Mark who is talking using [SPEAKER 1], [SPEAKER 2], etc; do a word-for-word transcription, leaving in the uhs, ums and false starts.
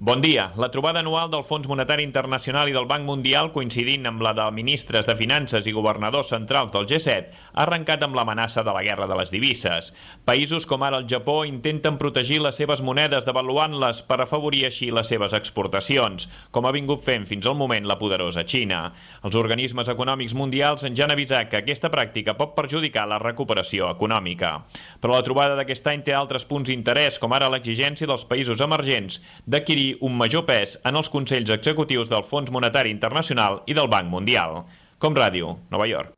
[SPEAKER 1] Bon dia. La trobada anual del Fons Monetari Internacional i del Banc Mundial, coincidint amb la de ministres de Finances i governadors centrals del G set, ha arrencat amb l'amenaça de la guerra de les divises. Països com ara el Japó intenten protegir les seves monedes devaluant-les per afavorir així les seves exportacions, com ha vingut fent fins al moment la poderosa Xina. Els organismes econòmics mundials ens ja han avisat que aquesta pràctica pot perjudicar la recuperació econòmica. Però la trobada d'aquest any té altres punts d'interès, com ara l'exigència dels països emergents d'adquirir un major pes en els consells executius del Fons Monetari Internacional i del Banc Mundial. Com Ràdio, Nova York.